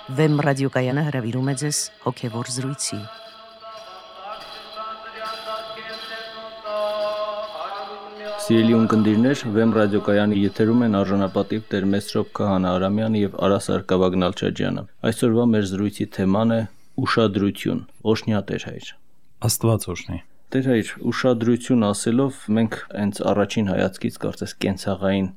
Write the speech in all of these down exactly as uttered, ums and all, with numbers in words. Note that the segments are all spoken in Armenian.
Վեմ ռադիոկայանը հրավիրում է ձեզ հոգևոր զրույցի։ Սիրելի ունկնդիրներ, Վեմ ռադիոկայանի եթերում են արժանապատիվ Տեր Մեսրոպ Քահանա Արամյանը եւ Արա Սարգսակյան Նալչաջյանը։ Այսօրվա մեր զրույցի թեման է ուշադրություն, օշնյա Տեր հայր։ Աստված օրհնի։ Տեր հայր, ուշադրություն ասելով մենք հենց առաջին հայացքից կարծես կենցաղային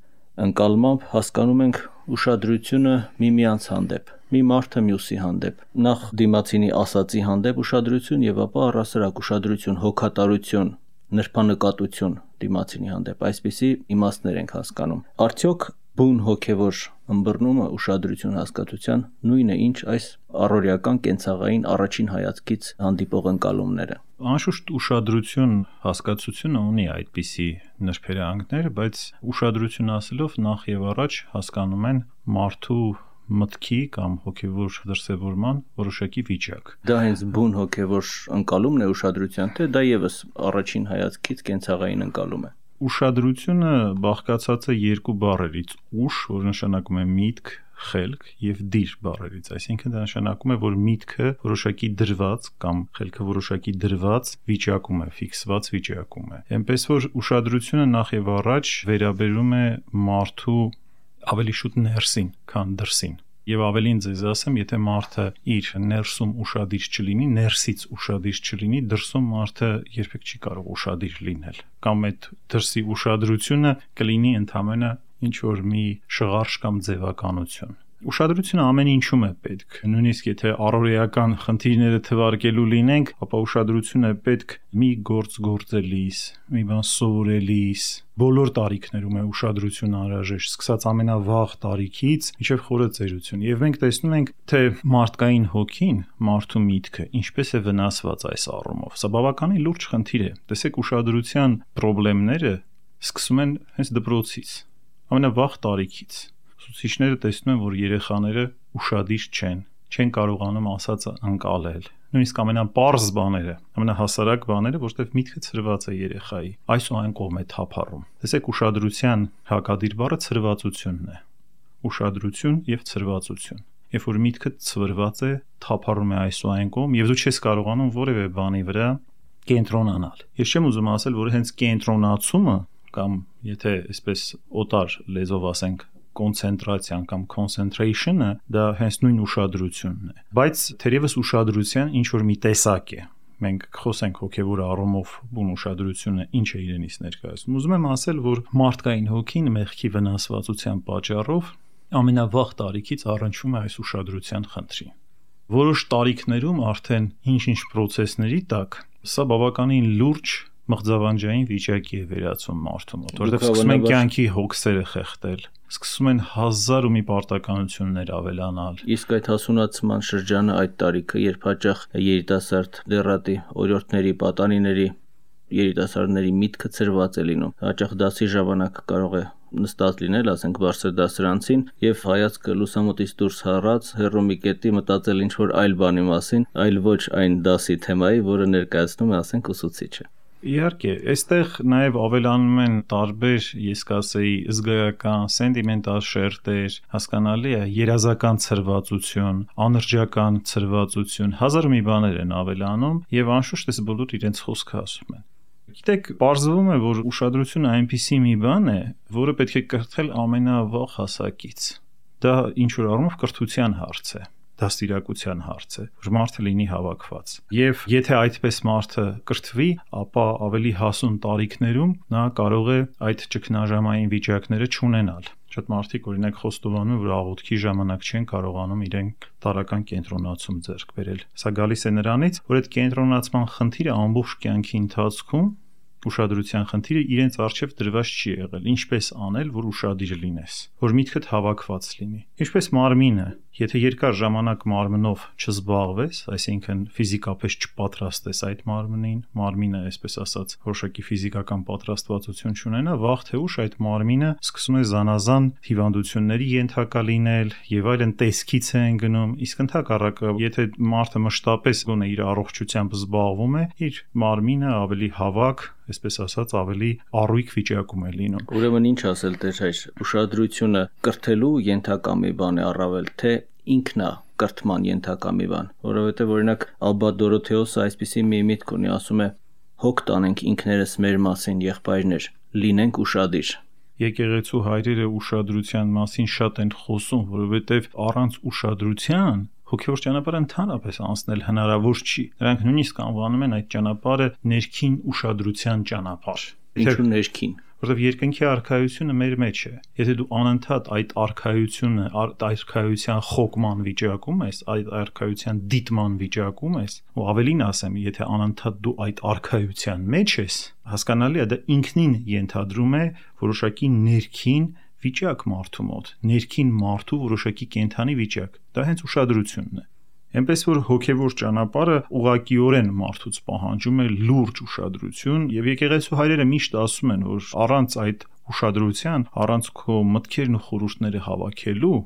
ընկալմամբ հասկանում ենք ուշադրությունը միմյանց հանդեպ, մի մարդը մյուսի հանդեպ, նախ դիմացինի ասածի հանդեպ ուշադրություն եւ ապա առասարակ ուշադրություն, հոգատարություն, նրբանկատություն դիմացինի հանդեպ, այսպիսի իմաստներ ենք հասկանում։ Արդյոք բուն հոգևոր ըմբռնումը ուշադրություն հասկացության նույնը ինչ այս առօրյական կենցաղային առաջին հայացքից հանդիպող ընկալումները։ Անշուշտ ուշադրություն հասկացությունը ունի այդպիսի նրբերանգներ, բայց ուշադրություն ասելով նախ եւ առաջ հասկանում են մարդու մտքի կամ հոգևոր դրսևորման որոշակի վիճակ։ Դա հենց բուն հոգևոր ընկալումն է ուշադրության, թե դա եւս առաջին հայացքից կենցաղային ընկալում է։ Ուշադրությունը բաղկացած է երկու բառերից՝ ուշ, որ նշանակում է միտք, խելք, եւ դիր բառերից, այսինքն դա նշանակում է, որ միտքը որոշակի դրված կամ խելքը որոշակի դրված վիճակում է, ֆիքսված վիճակում է։ Էնպես որ ուշադրությունը նախ եւ առաջ վերաբերում է մարդու ավելի շուտ ներսին, քան դրսին։ Եվ ավելին ձեզ ասեմ, եթե մարդը իր ներսում ուշադիր չլինի, ներսից ուշադիր չլինի, դրսում մարդը երբեք չի կարող ուշադիր լինել։ Կամ այդ դրսի ուշադրությունը կլինի ընդամենը ինչ որ մի շղարշ կամ ձևականություն։ Ուշադրությունը ամեն ինչում է պետք։ Նույնիսկ եթե առօրեական խնդիրները թվարկելու լինենք, ապա ուշադրություն է պետք մի գործ գործելիս, մի բան սովորելիս, բոլոր տարիքներում է ուշադրություն անհրաժեշտ, սկսած ամենավաղ տարիքից մինչև խորը ծերություն։ Եվ մենք տեսնում ենք, թե մարդկային հոգին, մարդու միտքը ինչպես է վնասված այս առումով։ Սա բավականին լուրջ խնդիր է։ Տեսեք, ուշադրության խնդիրները սկսում են հենց դպրոցից, ամենավաղ տարիքից։ Ուսուցիչները տեսնում են, որ երեխաները ուշադիր չեն, չեն կարողանում ասածը ընկալել։ Նույնիսկ ամենապարզ բաները, ամենահասարակ բաները, որտեղ միտքը ցրված է երեխայի, այս ու այն կողմ է թափառում։ Տեսեք, ուշադրության հակադիր բառը ցրվածությունն է։ Ուշադրություն եւ ցրվածություն։ Երբ որ միտքը ցրված է, թափառում է այս ու այն կողմ, եւ դու չես կարողանում որևէ բանի վրա կենտրոնանալ։ Ես չեմ ուզում ասել, որ հենց կենտրոնացումը կամ եթե այսպես օտար լեզվով ասենք կոնցենտրացիան կամ concentration-ը դա հենց նույն ուշադրությունն է, բայց թերևս ուշադրության ինչ որ մի տեսակ է։ Մենք խոսենք հոգևոր առումով բուն ուշադրությունը ինչ է իրենից ներկայացնում։ Ուզում եմ ասել, որ մարդկային հոգին մեղքի վնասվածության պատճառով ամենավաղ տարիքից առնչվում է այս ուշադրության խնդրին։ Որոշ տարիքներում արդեն ինչ-ինչ process-ների տակ սա բավականին լուրջ մղձավանջային վիճակի է վերածում մարդու մոտ, որտեղ սկսում են կյանքի հոգսերը խեղդել, սկսում են հազար ու մի պարտականություններ ավելանալ։ Իսկ այդ հասունացման շրջանը, այդ տարիքը, երբ հաճախ երիտասարդ դեռատի օրիորդների, պատանիների, երիտասարդների միտքը ցրված է լինում, հաճախ դասի ժամանակ կարող է նստած լինել, ասենք բարձր դասարանցին, եւ հայացքը լուսամուտից դուրս հառած, հեռու մի կետի մտածել ինչ որ այլ բանի մասին, այլ ոչ այն դասի թեմայի, որը ներկայացնում է, ասենք, ուսուցիչը։ Իհարկե, այստեղ նաև ավելանում են տարբեր, ես կասեի, զգայական, սենտիմենտալ շերտեր, հասկանալի է, երազական ցրվածություն, անրջական ցրվածություն, հազար մի բաներ են ավելանում եւ անշուշտ այս բոլոր իրենց խոսքը ասում են։ Գիտեք, պարզվում է, որ ուշադրությունը այնպիսի մի բան է, որը պետք է կրթել ամենավաղ հասակից։ Դա ինչ որ առումով կրթության հարց է։ Դաստիարակության հարց է, որ մարդը լինի հավաքված։ Եվ եթե այդպես մարդը կրթվի, ապա ավելի հասուն տարիքներում նա կարող է այդ ճգնաժամային վիճակները չունենալ։ Շատ մարդիկ օրինակ խոստովանում են, որ աղոթքի ժամանակ չեն կարողանում իրենք տարական կենտրոնացում ձեռք բերել։ Սա գալիս է նրանից, որ այդ կենտրոնացման խնդիրը ամբողջ կյանքի ընթացքում ուշադրության խնդիրը իրենց առջև դրված չի եղել։ Ինչպես անել, որ ուշադիր լինես, որ միտքդ հավաքված լինի։ Ինչպես մարմինը, եթե երկար ժամանակ մարմնով չզբաղվես, այսինքն ֆիզիկապես չպատրաստես այդ մարմնին, մարմինը, այսպես ասած, որոշակի ֆիզիկական պատրաստվածություն չունենա, վաղ թե ուշ այդ մարմինը սկսում է զանազան հիվանդությունների ենթակա լինել եւ այլն, տեսքից են գնում։ Իսկ ընդհակառակը, եթե մարդը մշտապես գոնե իր առողջությամբ զբաղվում է, իր մարմինը ավելի հավաք, այսպես ասած, ավելի առույգ վիճակում է լինում։ Ուրեմն ինչ ասել Տեր հայր, ուշադրությունը կրթելու ենթակա մի բան է առավել, թե ինքնա կրթման ենթակա մի բան, որովհետև օրինակ Ալբա Դորոթեոսը այսպիսի մի միտք ունի, ասում է. հոգ տանենք ինքներս մեր մասին, եղբայրներ, լինենք ուշադիր։ Եկեղեցու հայրերը ուշադրության մասին շատ են խոսում, որովհետև առանց ուշադրության հոգևոր ճանապարհը ընդհանրապես անցնել հնարավոր չի։ Նրանք նույնիսկ անվանում են այդ ճանապարհը ներքին ուշադրության ճանապարհ։ Ինչու ներքին։ Որովհետև երկնքի արքայությունը մեր մեջ է։ Եթե դու անընդհատ այդ արքայությունը, այդ արքայության խոկման վիճակում ես, այդ արքայության դիտման վիճակում ես, ու ավելին ասեմ, եթե անընդհատ դու այդ արքայության մեջ ես, հասկանալի է, դա ինքնին ենթադրում է որոշակի ներքին վիճակ մարդու մոտ, ներքին մարդու որոշակի կենդանի վիճակ։ Դա հենց ուշադրությունն է։ Այնպես որ հոգևոր ճանապարհը ուղղակիորեն մարդուց պահանջում է լուրջ ուշադրություն, եւ եկեղեցու հայրերը միշտ ասում են, որ առանց այդ ուշադրության, առանց քո մտքերն ու խորհուրդները հավաքելու,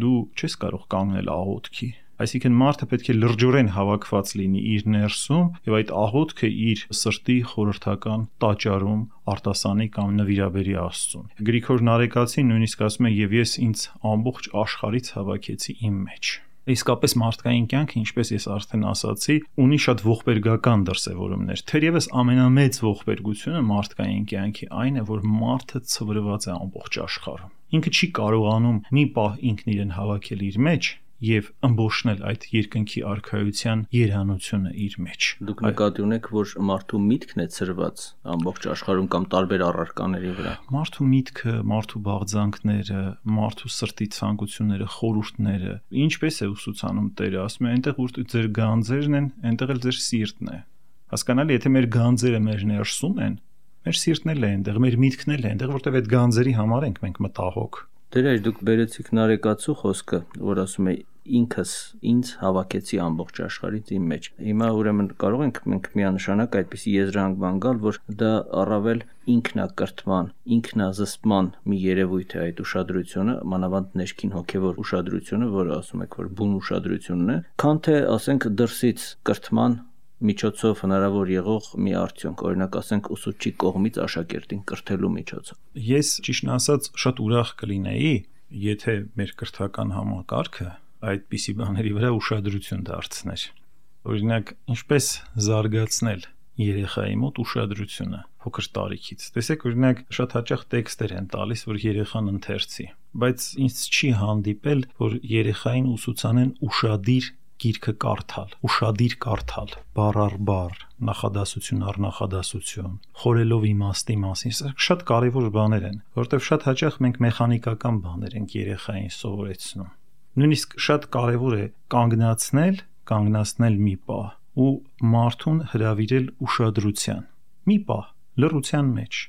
դու չես կարող կանգնել աղոթքի։ Այսինքն մարդը պետք է լրջորեն հավաքված լինի իր ներսում եւ այդ աղոթքը իր սրտի խորհրդական տաճարում արտասանի կամ նվիրաբերի Աստծուն։ Գրիգոր Նարեկացին նույնիսկ ասում է, եւ ես ինձ ամբողջ աշխարհից հավաքեցի իմ մեջ։ Իսկապես մարդկային կյանքը, ինչպես ես արդեն ասացի, ունի շատ ողբերգական դրսևորումներ։ Թերևս ամենամեծ ողբերգությունը մարդկային կյանքի այն է, որ մարդը ցվրված է ամբողջ աշխարհում։ Ինքը չի կարողանում մի պահ ինքն իրեն հավաքել իր մեջ եւ ըմբոշխնել այդ երկնքի արքայության երանությունը իր մեջ։ Դուք նկատի ունեք, որ մարդու միտքն է ծրված ամբողջ աշխարհում կամ տարբեր առարկաների վրա։ Մարդու միտքը, մարդու բաղձանքները, մարդու սրտի ցանկությունները, խորհուրդները, ինչպես է ուսուցանում Տերը, ասում է, այնտեղ որ ձեր գանձերն են, այնտեղ էլ ձեր սիրտն է։ Հասկանալի, եթե մեր գանձերը մեր ներսում են, մեր սիրտն էլ է այնտեղ, մեր միտքն էլ է այնտեղ, որտեղ այդ գանձերի համար ենք մենք մտահոգ։ Դերեր դուք բերեցիք Նարեկացու խոսքը, որ ասում է ինքս ինձ հավաքեցի ամբողջ աշխարհից իմ մեջ։ Հիմա ուրեմն կարող ենք մենք միանշանակ այդպիսի եզրահանգման գալ, որ դա առավել ինքնակրթման, ինքնազսպման մի երևույթ է այդ ուշադրությունը, մանավանդ ներքին հոգևոր ուշադրությունը, որը ասում եք, որ բուն ուշադրությունն է, քան թե ասենք դրսից կրթման միջոցով հնարավոր եղող մի արդյունք, օրինակ ասենք ուսուցչի կողմից աշակերտին կրթելու միջոցով։ Ես ճիշտն ասած շատ ուրախ կլինեի, եթե մեր կրթական համակարգը այդպիսի բաների վրա ուշադրություն դարձներ։ Օրինակ, ինչպես զարգացնել երեխայի մոտ ուշադրությունը փոքր տարիքից։ Տեսեք, օրինակ, շատ հաճախ տեքստեր են տալիս, որ երեխան ընթերցի, բայց ինձ չի հանդիպել, որ երեխային ուսուցանեն ուշադիր գիրքը կարդալ, ուշադիր կարդալ, բառ առ բառ, նախադասություն առ նախադասություն, խորելով իմաստի մասին, սա շատ կարևոր բաներ են, որովհետև շատ հաճախ մենք մեխանիկական բաներ ենք երեխային սովորեցնում։ Նույնիսկ շատ կարևոր է կանգնացնել, կանգնացնել մի պահ ու մարդուն հրավիրել ուշադրության։ Մի պահ լռության մեջ,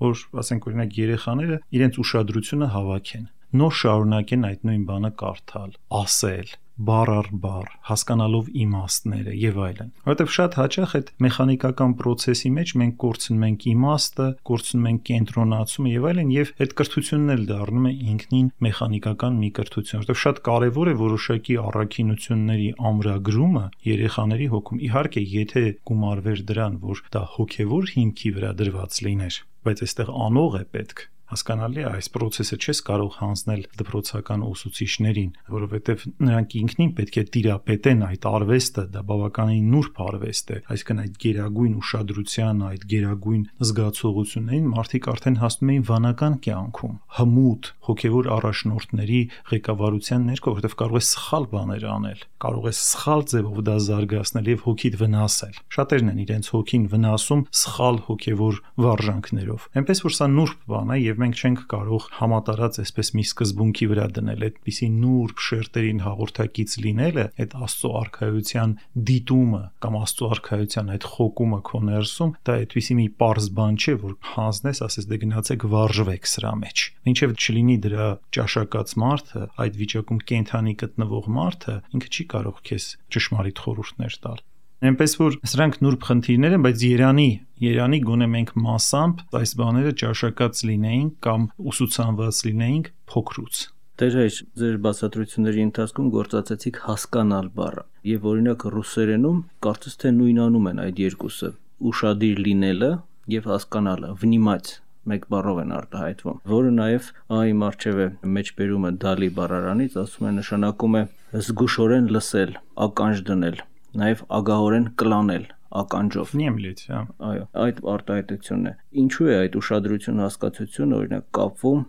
որ, ասենք օրինակ, երեխաները իրենց ուշադրությունը հավաքեն, նոր շարունակեն այդ նույն բանը կարդալ, ասել, բառ առ բառ, հասկանալով իմաստները եւ այլն։ Որովհետեւ շատ հաճախ այդ մեխանիկական process-ի մեջ մենք կորցնում ենք իմաստը, կորցնում ենք կենտրոնացումը եւ այլն, եւ այդ կրթությունն էլ դառնում է ինքնին մեխանիկական մի կրթություն։ Որովհետեւ շատ կարեւոր է որոշակի առաքինությունների ամրագրումը երեխաների հոգում։ Իհարկե, եթե գումարվեր դրան, որ դա հոգեվոր հիմքի վրա դրված լիներ, բայց այստեղ անող է պետք։ Հասկանալի է, այս process-ը չես կարող հանձնել դպրոցական ուսուցիչներին, որովհետև նրանք ինքնին պետք է տիրապետեն այդ արվեստը, դա բավականին նուրբ արվեստ է, այսինքն այդ գերագույն ուշադրության, այդ գերագույն զգացողություններին մարդիկ արդեն հասնում էին վանական կյանքում, հմուտ հոգևոր առաջնորդների ղեկավարության ներքո, որովհետև կարող է սխալ բաներ անել, կարող է սխալ ձևով դա զարգացնել եւ հոգիդ վնասել։ Շատերն են իրենց հոգին վնասում սխալ հոգևոր վարժանքներով։ Այնպես որ սա նուրբ բան է եւ մենք չենք կարող համատարած այսպես մի սկզբունքի վրա դնել այդպիսի նուրբ շերտերին հաղորդակից լինելը, այդ Աստծո արքայության դիտումը կամ Աստծո արքայության այդ խոկումը քո ներսում, դա այդպիսի մի պարզ բան չէ, որ հանձնես, ասես դե գնացեք վարժվեք սրա մեջ։ Մինչև չլինի դրա ճաշակած մարդը, այդ վիճակում կենթանի գտնվող մարդը, ինքը չի կարող քեզ ճշմարիտ խորհուրդներ տալ։ Այնպես որ սրանք նուրբ խնդիրներ են, բայց Երանի, Երանի գոնե մենք մասամբ այս բաները ճաշակած լինեինք կամ ուսուցանված լինեինք փոքրուց։ Դեր ձեր բացատրությունների ընթացքում գործածեցիք հասկանալ բառը, եւ օրինակ ռուսերենում կարծես թե նույնանում են այդ երկուսը՝ ուշադիր լինելը եւ հասկանալը, վնիմаць մեկ բառով են արտահայտվում, որը նաև ա-ի առջև է մեջբերումը դալի բառարանից, ասում է նշանակում է զգուշորեն լսել, ականջ դնել, նաև ագահորեն կլանել ականջով։ Նյեմլից, հա։ Այո, այդ արտահայտությունն է։ Ինչու է այդ ուշադրություն հասկացությունը օրինակ կապվում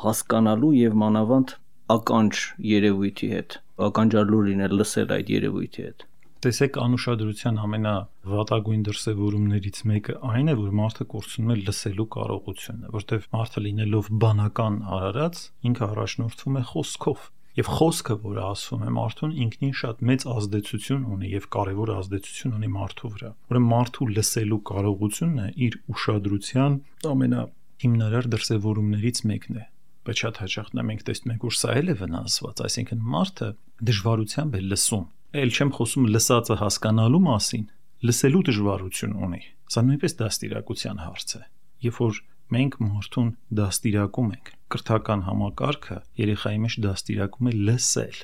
հասկանալու եւ մանավանդ ականջ երևույթի հետ, ականջալուր լինել, լսել այդ երևույթի հետ։ Տեսեք, անուշադրության ամենավատագույն դրսևորումներից մեկը այն է, որ մարդը կորցնում է լսելու կարողությունը, որտեղ մարդը լինելով բանական արարած, ինքը առաջնորդվում է խոսքով։ Եվ խոսքը, որը ասում է մարդուն, ինքնին շատ մեծ ազդեցություն ունի եւ կարեւոր ազդեցություն ունի մարդու վրա։ Ուրեմն մարդու լսելու կարողությունը իր ուշադրության ամենահիմնարար դրսևորումներից մեկն է։ Բայց շատ հաճախ նա մենք տեսնում ենք, որ սա էլ է վնասված, այսինքն մարդը դժվարությամբ է լսում։ Էլ չեմ խոսում լսածը հասկանալու մասին, լսելու դժվարություն ունի։ Սա նույնպես դաստիարակության հարց է։ Երբ որ մենք մարդուն դաստիարակում ենք, կրթական համակարգը երեխայի մեջ դաստիարակում է լսել։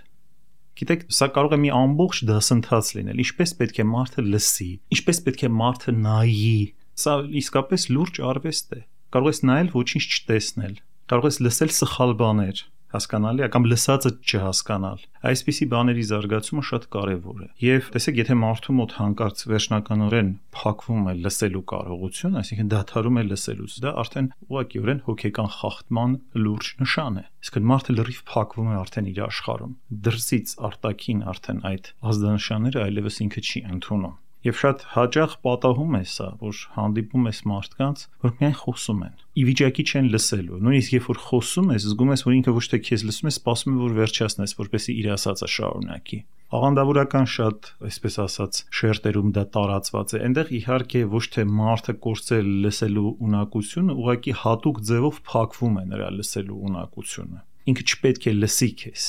Գիտեք, սա կարող է մի ամբողջ դասընթաց լինել, ինչպես պետք է մարդը լսի, ինչպես պետք է մարդը նայի։ Սա իսկապես լուրջ արվեստ է։ Կարող ես նայել, ոչինչ չտեսնել, կարող ես լսել սխալ բաներ, հասկանալի է, կամ լսածը չհասկանալ։ Այսպիսի բաների զարգացումը շատ կարևոր է։ Եվ տեսեք, եթե մարդու մոտ հանկարծ վերջնականորեն փակվում է լսելու կարողությունը, այսինքն դադարում է լսելուց, դա արդեն ուղղակիորեն հոգեկան խախտման լուրջ նշան է։ Իսկ մարդը լրիվ փակվում է արդեն իր աշխարհում։ Դրսից արտաքին արդեն այդ ազդանշանները այլևս ինքը չի ընդունում։ Եվ շատ հաճախ պատահում է սա, որ հանդիպում ես մարդկանց, որ միայն խոսում են, ի վիճակի չեն լսելու։ Նույնիսկ երբ որ խոսում ես, զգում ես, որ ինքը ոչ թե քեզ լսում է, սպասում է, որ վերջացնես, որպեսզի իր ասածը շարունակի։ Աղանդավորական շատ, այսպես ասած, շերտերում դա տարածված է։ Այնտեղ իհարկե ոչ թե մարդը կորցրել լսելու ունակությունը, ուղղակի հատուկ ձևով փակվում է նրա լսելու ունակությունը։ Ինքը չպետք է լսի քեզ։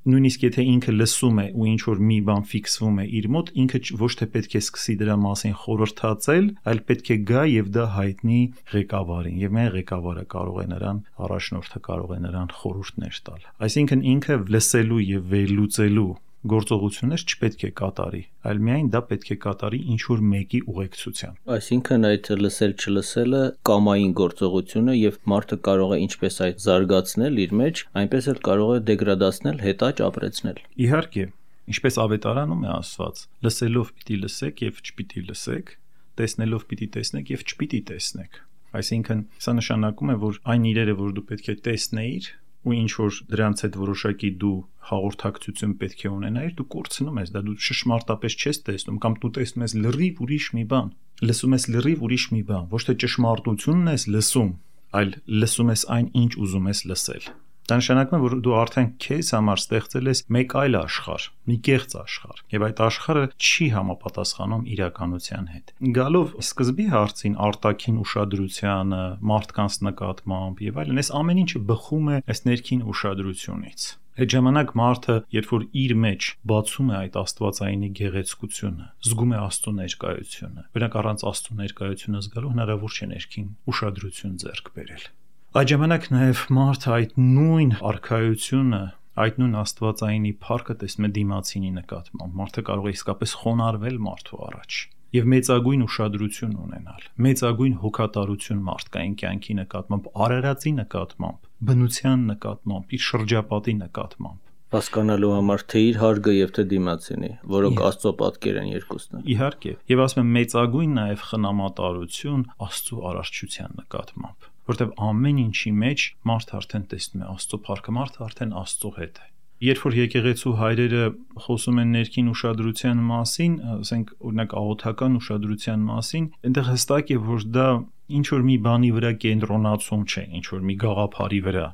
Նույնիսկ եթե ինքը լսում է ու ինչ որ մի բան ֆիքսվում է իր մոտ, ինքը ոչ թե պետք է սկսի դրա մասին խորհրդածել, այլ պետք է գա եւ դա հայտնի ղեկավարին, եւ միայն ղեկավարը կարող է նրան, առաջնորդը կարող է նրան խորհուրդներ տալ։ Այսինքն ինքը լսելու եւ վերլուծելու գործողություններ չպետք է կատարի, այլ միայն դա պետք է կատարի ինչ որ մեկի ուղեկցությամբ։ Այսինքն այդ լսել չլսելը կամային գործողություն է եւ մարդը կարող է ինչպես այդ զարգացնել իր մեջ, այնպես էլ կարող է դեգրադացնել, հետաճ ապրեցնել։ Իհարկե, ինչպես ավետարանում է ասված, լսելով պիտի լսեք եւ չպիտի լսեք, տեսնելով պիտի տեսնեք եւ չպիտի տեսնեք։ Այսինքն սա նշանակում է, որ այն իրերը, որ դու պետք է տեսնեիր, ու ինչ որ դրանց հետ որոշակի դու հաղորդակցություն պետք է ունենայիր, դու կորցնում ես դա, դու ճշմարտապես չես տեսնում, կամ դու տեսնում ես լրիվ ուրիշ մի բան, լսում ես լրիվ ուրիշ մի բան, ոչ թե ճշմարտությունն ես լսում, այլ լսում ես այն, ինչ ուզում ես լսել։ Դա նշանակում է, որ դու արդեն քեզ համար ստեղծել ես մեկ այլ աշխարհ, մի կեղծ աշխարհ, եւ այդ աշխարհը չի համապատասխանում իրականության հետ։ Գալով սկզբի հարցին արտաքին ուշադրությանը, մարդկանց նկատմամբ եւ այլն, այս ամեն ինչը բխում է այս ներքին ուշադրությունից։ Այդ ժամանակ մարդը, երբ որ իր մեջ բացում է այդ աստվածայինի գեղեցկությունը, զգում է Աստծո ներկայությունը, բնակ առանց Աստծո ներկայությունը զգալու հնարավոր չէ ներքին ուշադրություն ձեռք բերել։ Այդ ժամանակ նաև մարդը այդ նույն արքայությունը, այդ նույն աստվածայինի փառքը տեսնում է դիմացինի նկատմամբ։ Մարդը կարող է իսկապես խոնարհվել մարդու առաջ եւ մեծագույն ուշադրություն ունենալ, մեծագույն հոգատարություն մարդկային կյանքի նկատմամբ, արարածի նկատմամբ, բնության նկատմամբ, իր շրջապատի նկատմամբ։ Հասկանալու համար թե իր հարգը եւ թե դիմացինի, որոնք Աստծո պատկեր են երկուսն։ Իհարկե, եւ ասում եմ մեծագույն նաեւ խնամատարություն Աստծո արարչության նկատմամբ, որտեղ ամեն ինչի մեջ մարդը արդեն տեսնում է Աստծո փառքը, մարդը արդեն Աստծո հետ է։ Երբ որ եկեղեցու հայրերը խոսում են ներքին ուշադրության մասին, ասենք օրինակ աղոթական ուշադրության մասին, այնտեղ հստակ է, որ դա ինչ որ մի բանի վրա կենտրոնացում չէ, ինչ որ մի գաղափարի վրա,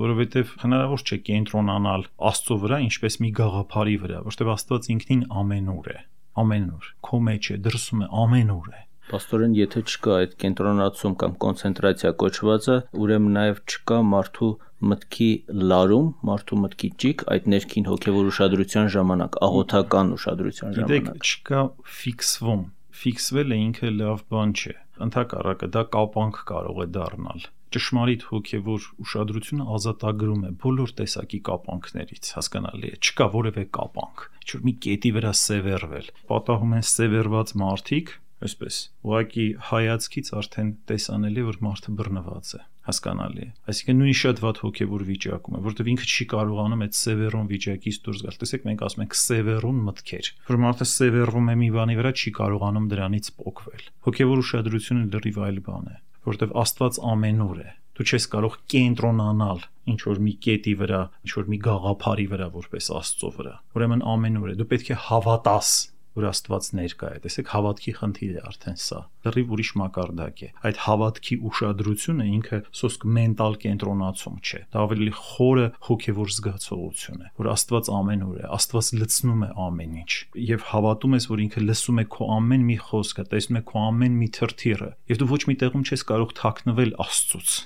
որովհետև հնարավոր չէ կենտրոնանալ Աստծո վրա, ինչպես մի գաղափարի վրա, որովհետև Աստված ինքնին ամենուր է, ամենուր, քո մեջ է, դրսում է, ամենուր է։ Պաստորեն, եթե չկա այդ կենտրոնացում կամ կոնցենտրացիա կոչվածը, ուրեմն նաև չկա մարդու մտքի լարում, մարդու մտքի ճիգ այդ ներքին հոգևոր ուշադրության ժամանակ, աղոթական ուշադրության ժամանակ։ Գիտեք, չկա ֆիքսվում։ Ֆիքսվելը ինքը լավ բան չէ։ Ընդհակառակը դա կապանք կարող է դառնալ։ Ճշմարիտ հոգևոր ուշադրությունը ազատագրում է բոլոր տեսակի կապանքներից, հասկանալի է, չկա որևէ կապանք, ինչ որ մի կետի վրա սևեռվել։ Պատահում են սևեռված մարդիկ, Այսպես, ուղղակի հայացքից արդեն տեսանելի է, որ մարդը բռնված է, հասկանալի է։ Այսինքն նույնիսկ շատ վատ հոգևոր վիճակում է, որովհետև ինքը չի կարողանում այդ սևեռուն վիճակից դուրս գալ։ Տեսեք, մենք ասում ենք սևեռուն մտքեր, որ մարդը սևեռում է մի բանի վրա, չի կարողանում դրանից պոկվել։ Հոգևոր ուշադրությունը լրիվ այլ բան է, որովհետև Աստված ամենուր է։ Դու չես կարող կենտրոնանալ ինչ որ մի կետի վրա, ինչ որ մի գաղափարի վրա, որպես Աստծո վրա։ Ուրեմն ամենուր է։ Դու պետք է հավատաս, որ Աստված ներկա է։ Տեսեք, հավատքի խնդիր է արդեն սա։ Լրիվ ուրիշ մակարդակ է։ Այդ հավատքի ուշադրությունը ինքը սոսկ մենտալ կենտրոնացում չէ։ Դա ավելի խորը հոգևոր զգացողություն է, որ Աստված ամենուր է, Աստված լցնում է ամեն ինչ։ Եվ հավատում ես, որ ինքը լսում է քո ամեն մի խոսքը, տեսնում է քո ամեն մի թրթիռը, եւ դու ոչ մի տեղում չես կարող թաքնվել Աստծուց։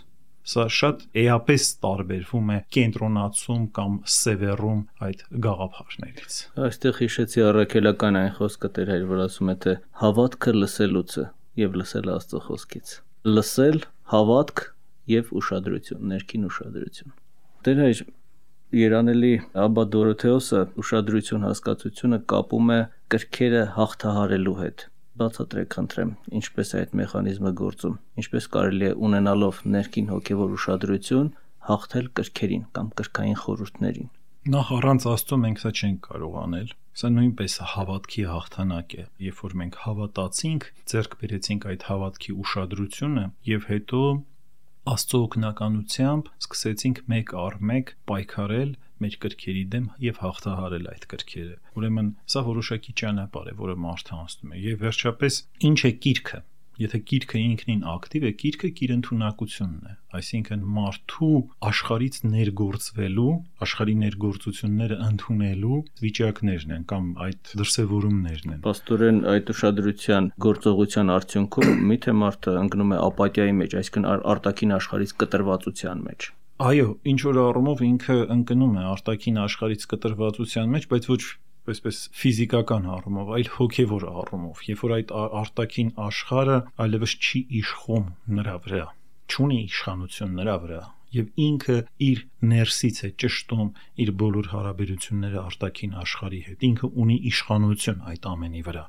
Սա շատ էապես տարբերվում է կենտրոնացում կամ սևեռում այդ գաղափարներից։ Այստեղ հիշեցի առաքելական այն խոսքը Տեր Հայր, որ ասում է, թե հավատքը լսելուց է եւ լսելը Աստծո խոսքից։ Լսել, հավատք եւ ուշադրություն, ներքին ուշադրություն։ Տեր Հայր, երանելի Աբբա Դորոթեոսը ուշադրություն հասկացությունը կապում է կրքերը հաղթահարելու հետ։ Բացատրեք խնդրեմ, ինչպես է այդ մեխանիզմը գործում, ինչպես կարելի է ունենալով ներքին հոգևոր ուշադրություն հաղթել կրքերին կամ կրքային խորհուրդներին։ Նախ առանց Աստծո մենք սա չենք կարող անել։ Սա նույնպես հավատքի հաղթանակ է։ Երբ որ մենք հավատացինք, ձեռք բերեցինք այդ հավատքի ուշադրությունը եւ հետո Աստծո օգնականությամբ սկսեցինք մեկ առ մեկ պայքարել մեր կրքերի դեմ եւ հաղթահարել այդ կրքերը։ Ուրեմն սա որոշակի ճանապարհ է, որը մարդը անցնում է։ Եվ վերջապես ինչ է կիրքը։ Եթե կիրքը ինքնին ակտիվ է, կիրքը իր ընդունակությունն է, այսինքն մարդու աշխարհից ներգործվելու, աշխարհի ներգործությունները ընդունելու վիճակներն են կամ այդ դրսևորումներն են։ Պաստորեն այդ ուշադրության գործողության արդյունքում միթե մարդը ընկնում է ապաթիայի մեջ, այսինքն արտաքին աշխարհից կտրվածության մեջ։ Այո, ինչ որ առումով ինքը ընկնում է արտաքին աշխարհից կտրվածության մեջ, բայց ոչ այսպես ֆիզիկական առումով, այլ հոգևոր առումով, երբ որ այդ արտաքին աշխարհը այլևս չի իշխում նրա վրա, չունի իշխանություն նրա վրա, եւ ինքը իր ներսից է ճշտում իր բոլոր հարաբերությունները արտաքին աշխարհի հետ։ Ինքը ունի իշխանություն այդ ամենի վրա։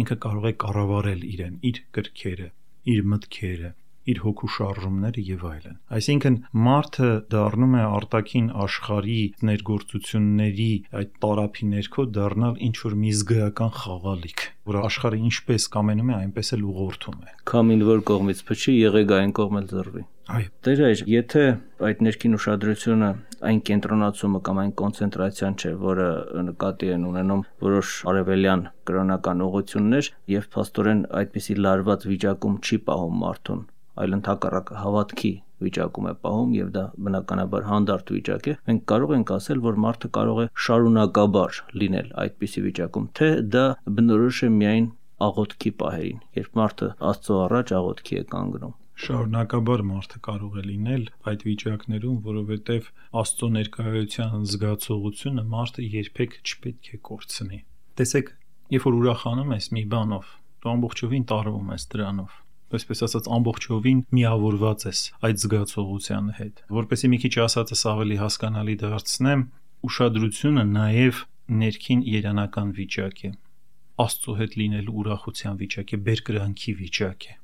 Ինքը կարող է կառավարել իրեն, իր կրքերը, իր մտքերը, իր հոգու շարժումները եւ այլն։ Այսինքն մարդը դառնում է արտաքին աշխարհի ներգործությունների այդ տարափի ներքո դառնալ ինչ որ մի զգայական խաղալիք, որ աշխարհը ինչպես կամենում է, այնպես էլ ուղղորդում է։ Քամին որ կողմից փչի, եղեք այն կողմ էլ ձռվի։ Այո։ Տեր Հայր, եթե այդ ներքին ուշադրությունը այն կենտրոնացումը կամ այն կոնցենտրացիան չէ, որը նկատի են ունենում որոշ արևելյան կրոնական ուղղություններ, եւ փաստորեն այդպիսի լարված վիճակում չի պահում մարդուն, այլ ընդհակառակը հավատքի վիճակում է պահում եւ դա բնականաբար հանդարտ վիճակ է, մենք կարող ենք ասել, որ մարդը կարող է շարունակաբար լինել այդպիսի վիճակում, թե դա բնորոշ է միայն աղոթքի պահերին, երբ մարդը Աստծո առաջ աղոթքի է կանգնում։ Շարունակաբար մարդը կարող է լինել այդ վիճակներում, որովհետև Աստծո ներկայության զգացողությունը մարդը երբեք չպետք է կորցնի։ Տեսեք, երբ որ ուրախանում ես մի բանով, դու ամբողջովին տարվում ես դրանով, այսպես ասած ամբողջովին միավորված ես այդ զգացողության հետ։ Որպեսզի մի քիչ ասածս ավելի հասկանալի դարձնեմ, ուշադրությունը նաև ներքին երանական վիճակ է, Աստծո հետ լինելու ուրախության վիճակ է, բերկրանքի վիճակ է։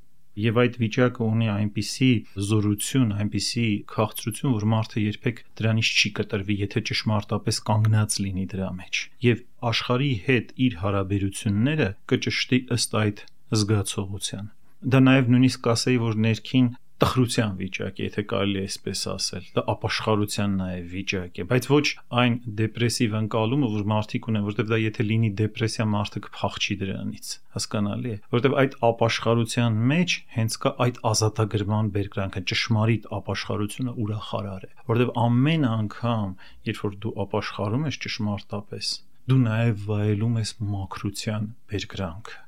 Եվ այդ վիճակը ունի այնպիսի զորություն, այնպիսի քաղցրություն, որ մարդը երբեք դրանից չի կտրվի, եթե ճշմարտապես կանգնած լինի դրա մեջ։ Եվ աշխարհի հետ իր հարաբերությունները կճշտի ըստ այդ զգացողության։ Դա նաև նույնիսկ կասեի, որ ներքին տխրության վիճակ է, եթե կարելի է այսպես ասել, դա ապաշխարության նաև վիճակ է, բայց ոչ այն դեպրեսիվ ընկալումը, որ մարդիկ ունեն, որովհետև դա եթե լինի դեպրեսիա, մարդը կփախչի դրանից, հասկանալի է, որովհետև այդ ապաշխարության մեջ հենց կա այդ ազատագրման բերկրանքը, ճշմարիտ ապաշխարությունը ուրախարար է, որովհետև ամեն անգամ, երբ որ դու ապաշխարում ես ճշմարտապես, դու նաև վայելում ես մաքրության բերկրանքը,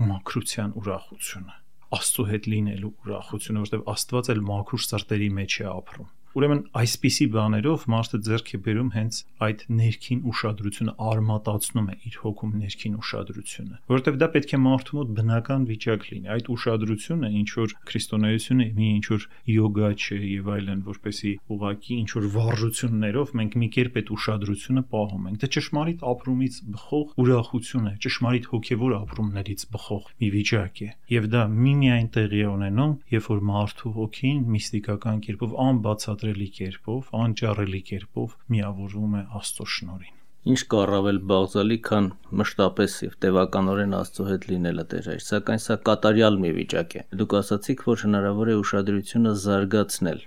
մաքրության ուրախությունը, Աստծո հետ լինելու ուրախությունը, որովհետև Աստված էլ մաքուր սրտերի մեջ է ապրում։ Ուրեմն այսպիսի բաներով մարդը ձեռք է բերում հենց այդ ներքին ուշադրությունը, արմատացնում է իր հոգում ներքին ուշադրությունը, որովհետև դա պետք է մարդու մոտ բնական վիճակ լինի։ Այդ ուշադրությունը ինչ որ քրիստոնեությունը մի ինչ որ յոգա չէ եւ այլն, որպեսի ուղակի ինչ որ վարժություններով մենք մի կերպ այդ ուշադրությունը պահում ենք։ Դա ճշմարիտ ապրումից բխող ուրախություն է, ճշմարիտ հոգեվոր ապրումներից բխող մի վիճակ է։ Եվ դա միմիայն տեղի է ունենում, երբ որ մարդու հոգին միստիկական կերպով, անբացատրելի կերպով, անճառելի կերպով միավորվում է Աստծո շնորհին։ Ինչ կա առավել բաղձալի, քան մշտապես եւ տևականորեն Աստծո հետ լինելը Տեր հայր, սակայն սա կատարյալ մի վիճակ է։ Դուք ասացիք, որ հնարավոր է ուշադրությունը զարգացնել,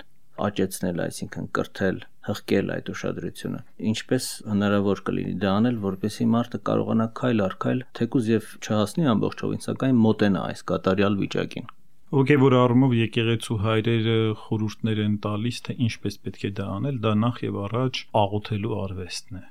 աճեցնել, այսինքն կրթել, հղկել այդ ուշադրությունը։ Ինչպես հնարավոր կլինի դա անել, որպեսզի մարդը կարողանա քայլ առ քայլ, թեկուզ եւ չհասնի ամբողջովին, սակայն մոտենա այս կատարյալ վիճակին։ Ոգևոր առումով եկեղեցու հայրերը խորհուրդներ են տալիս, թե ինչպես պետք է դա անել, դա նախ եւ առաջ աղոթելու արվեստն է,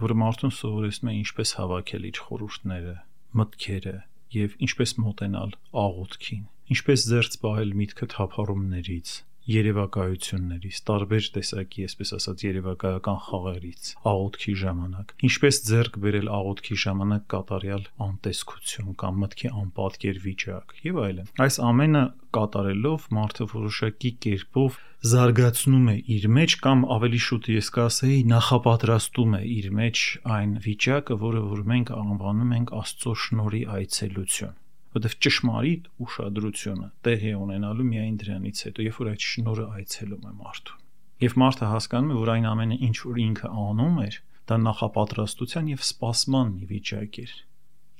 որը մարդուն սովորեցնում է ինչպես հավաքել իր խորհուրդները, մտքերը եւ ինչպես մոտենալ աղոթքին, ինչպես զերծ պահել միտքը թափառումներից, երևակայություններից, տարբեր տեսակի, այսպես ասած, երևակայական խաղերից, աղոթքի ժամանակ, ինչպես ձեռք բերել աղոթքի ժամանակ կատարյալ անտեսքություն կամ մտքի անպատկեր վիճակ եւ այլն։ Այս ամենը կատարելով մարդը որոշակի կերպով զարգացնում է իր մեջ կամ ավելի շուտ ես կասեի նախապատրաստում է իր մեջ այն վիճակը, որը որ մենք անվանում ենք Աստծո շնորհի այցելություն, որտեղ ճշմարիտ ուշադրությունը տեղի է ունենալու միայն դրանից հետո, երբ որ այդ շնորհը այցելում է մարդուն։ Եվ մարդը հասկանում է, որ այն ամենը, ինչ որ ինքը անում էր, դա նախապատրաստության եւ սպասման մի վիճակ էր։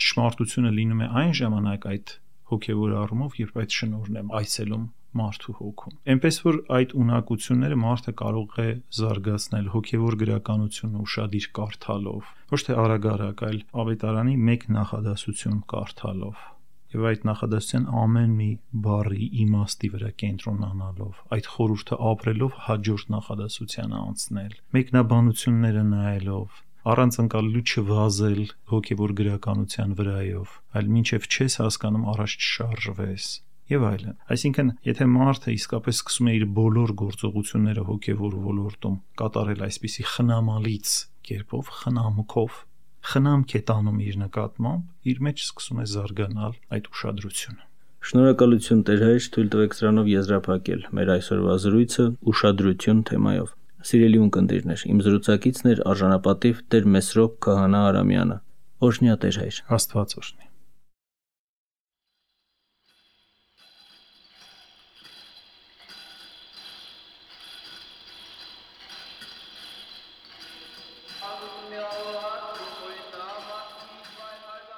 Ճշմարտությունը լինում է այն ժամանակ այդ հոգևոր առումով, երբ այդ շնորհն է այցելում մարդու հոգում։ Էնպես որ այդ ունակությունները մարդը կարող է զարգացնել հոգևոր գրականությունը ուշադիր կարդալով, ոչ թե արագ-արագ, այլ ավետարանի մեկ նախադասություն կարդալով եւ այդ նախադասության ամեն մի բառի իմաստի վրա կենտրոնանալով, այդ խորհուրդը ապրելով հաջորդ նախադասությանը անցնել, մեկնաբանությունները նայելով, առանց ընկալելու չվազել հոգևոր գրականության վրայով, այլ մինչև չես հասկանում առաջ չշարժվես եւ այլն։ Այսինքն, եթե մարդը իսկապես սկսում է իր բոլոր գործողությունները հոգևոր ոլորտում կատարել այսպիսի խնամալից կերպով, խնամքով, խնամք է տանում իր նկատմամբ, իր մեջ սկսում է զարգանալ այդ ուշադրությունը։ Շնորհակալություն Տեր հայր, թույլ տվեք սրանով եզրափակել մեր այսօրվա զրույցը ուշադրություն թեմայով։ Սիրելի ունկնդիրներ, իմ զրուցակիցն էր արժանապատիվ Տեր Մեսրոպ Քահանա Արամյանը։ Օրհնյա Տեր հայր։ Աստված օրհնի։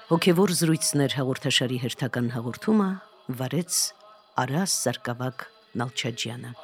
Հոգևոր զրույցներ հաղորդաշարի հերթական հաղորդումը վարեց Արա Սարգսակ Նալչաջյանը։